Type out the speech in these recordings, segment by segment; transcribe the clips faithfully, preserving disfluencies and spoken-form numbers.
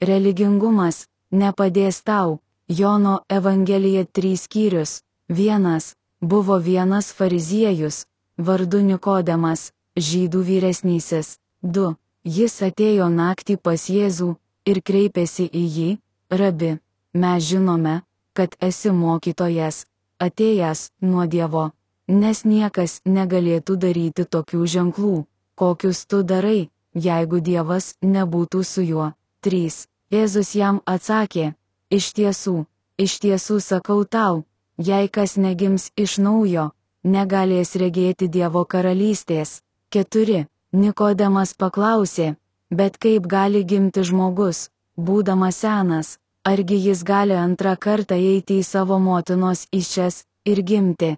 Religingumas nepadės tau. Jono Evangelija trys skyrius. Vienas. Buvo vienas fariziejus, vardu Nikodemas, žydų vyresnysis. Du. Jis atėjo naktį pas Jėzų ir kreipėsi į jį: Rabi, mes žinome, kad esi mokytojas, atėjęs nuo Dievo, nes niekas negalėtų daryti tokių ženklų, kokius tu darai, jeigu Dievas nebūtų su juo. Trys. Jėzus jam atsakė: Iš tiesų, iš tiesų sakau tau, jei kas negims iš naujo, negalės regėti Dievo karalystės. Keturi. Nikodemas paklausė: Bet kaip gali gimti žmogus, būdamas senas, argi jis gali antrą kartą eiti į savo motinos įsčias ir gimti?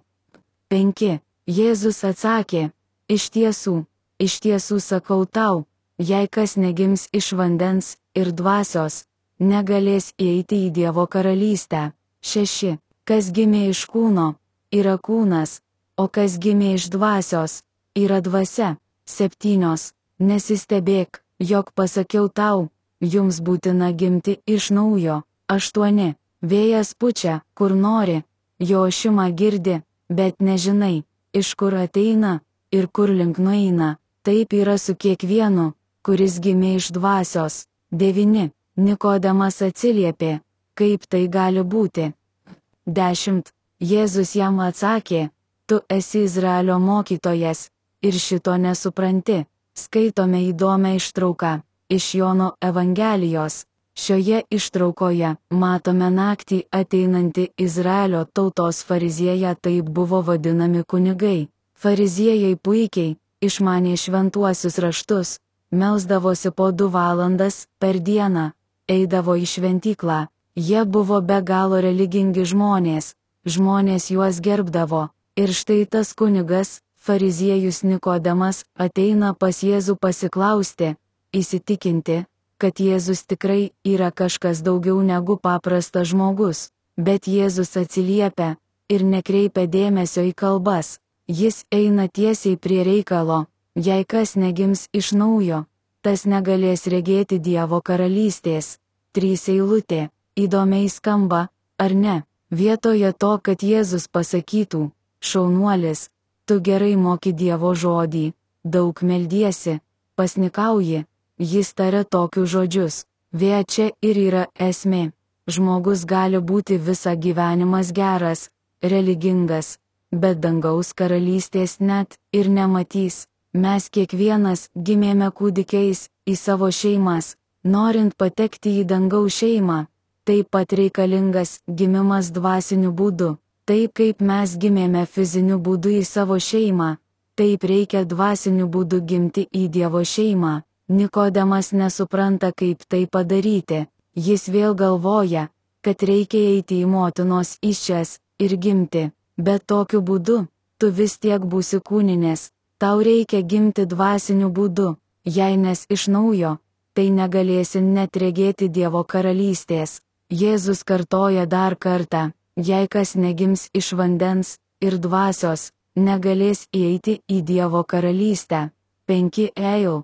Penki. Jėzus atsakė: Iš tiesų, iš tiesų sakau tau, jei kas negims iš vandens ir dvasios, negalės įeiti į Dievo karalystę. Šeši. Kas gimė iš kūno, yra kūnas, o kas gimė iš dvasios, yra dvasia. Septynios. Nesistebėk, jog pasakiau tau, jums būtina gimti iš naujo. Aštuoni. Vėjas pučia, kur nori, jo ošimą girdi, bet nežinai, iš kur ateina ir kur link nueina. Taip yra su kiekvienu, kuris gimė iš dvasios. Devyni. Nikodemas atsiliepė: Kaip tai gali būti? Dešimt. Jėzus jam atsakė: Tu esi Izraelio mokytojas ir šito nesupranti. Skaitome įdomią ištrauką iš Jono Evangelijos. Šioje ištraukoje matome naktį ateinantį Izraelio tautos fariziejai, taip buvo vadinami kunigai. Fariziejai puikiai išmanė šventuosius raštus, melsdavosi po du valandas per dieną, eidavo į šventyklą. Jie buvo be galo religingi žmonės, žmonės juos gerbdavo. Ir štai tas kunigas, fariziejus Nikodemas, ateina pas Jėzų pasiklausti, įsitikinti, kad Jėzus tikrai yra kažkas daugiau negu paprastas žmogus. Bet Jėzus atsiliepia ir nekreipia dėmesio į kalbas. Jis eina tiesiai prie reikalo: Jei kas negims iš naujo, tas negalės regėti Dievo karalystės. Trys eilutė. Įdomiai skamba, ar ne? Vietoje to, kad Jėzus pasakytų: Šaunuolis, tu gerai moki Dievo žodį, daug meldiesi, pasnikauji, jis taria tokius žodžius: Vė čia ir yra esmė. Žmogus gali būti visą gyvenimas geras, religingas, bet dangaus karalystės net ir nematys. Mes kiekvienas gimėme kūdikiais į savo šeimas. Norint patekti į dangaus šeimą, taip pat reikalingas gimimas dvasiniu būdu. Taip kaip mes gimėme fiziniu būdu į savo šeimą, taip reikia dvasiniu būdu gimti į Dievo šeimą. Nikodemas nesupranta, kaip tai padaryti. Jis vėl galvoja, kad reikia eiti į motinos įsčias ir gimti. Bet tokiu būdu, tu vis tiek būsi kūninės. Tau reikia gimti dvasiniu būdu. Jei nes iš naujo, tai negalėsi net regėti Dievo karalystės. Jėzus kartoja dar kartą: Jei kas negims iš vandens ir dvasios, negalės įeiti į Dievo karalystę. Penki. Eil.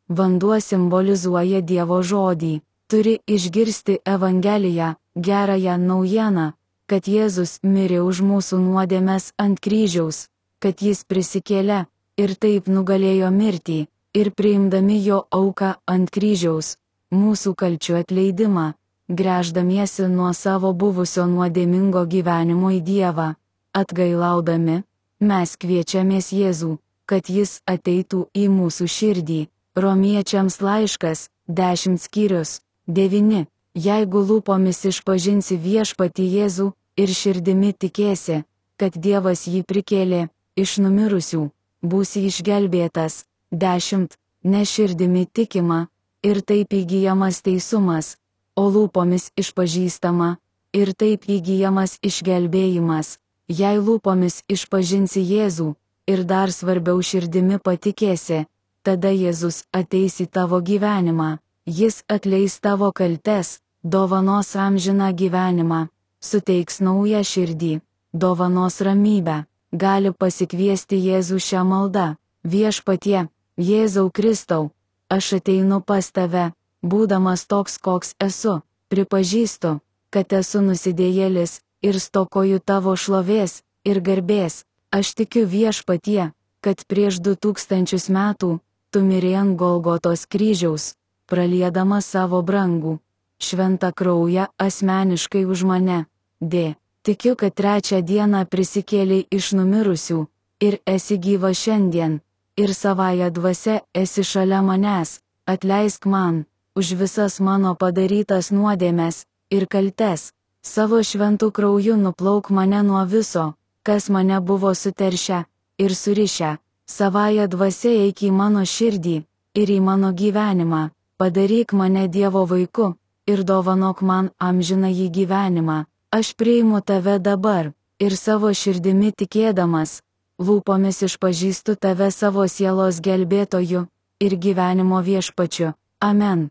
Vanduo simbolizuoja Dievo žodį. Turi išgirsti Evangeliją, gerąją naujieną, kad Jėzus mirė už mūsų nuodėmes ant kryžiaus, kad jis prisikėlė ir taip nugalėjo mirtį, ir priimdami jo auką ant kryžiaus, mūsų kalčių atleidimą, gręždamiesi nuo savo buvusio nuodėmingo gyvenimo į Dievą, atgailaudami, mes kviečiamės Jėzų, kad jis ateitų į mūsų širdį. Romiečiams laiškas, dešimt skyrius. Devyni. Jeigu lūpomis išpažinsi viešpatį Jėzų ir širdimi tikėsi, kad Dievas jį prikėlė iš numirusių, būsi išgelbėtas. Dešimt. Ne širdimi tikima, ir taip įgyjamas teisumas, o lūpomis išpažįstama, ir taip įgyjamas išgelbėjimas. Jei lūpomis išpažinsi Jėzų, ir dar svarbiau širdimi patikėsi, tada Jėzus ateis į tavo gyvenimą, jis atleis tavo kaltes, dovanos amžiną gyvenimą, suteiks naują širdį, dovanos ramybę. Gali pasikviesti Jėzų šią maldą: Viešpatie, Jėzau Kristau, aš ateinu pas tave, būdamas toks, koks esu, pripažįstu, kad esu nusidėjėlis ir stokoju tavo šlovės ir garbės. Aš tikiu viešpatie, kad prieš du tūkstančius metų tu mirei ant Golgotos kryžiaus, praliedamas savo brangų, šventą kraują asmeniškai už mane. D. Tikiu, kad trečią dieną prisikėlei iš numirusių ir esi gyva šiandien, ir savąja dvasia esi šalia manęs. Atleisk man už visas mano padarytas nuodėmes ir kaltes. Savo šventų krauju nuplauk mane nuo viso, kas mane buvo suteršę ir surišę. Savąja dvasia eik į mano širdį ir į mano gyvenimą. Padaryk mane Dievo vaiku ir dovanok man amžinąjį gyvenimą. Aš priimu tave dabar ir savo širdimi tikėdamas, lūpomis išpažįstu tave savo sielos gelbėtoju ir gyvenimo viešpačiu. Amen.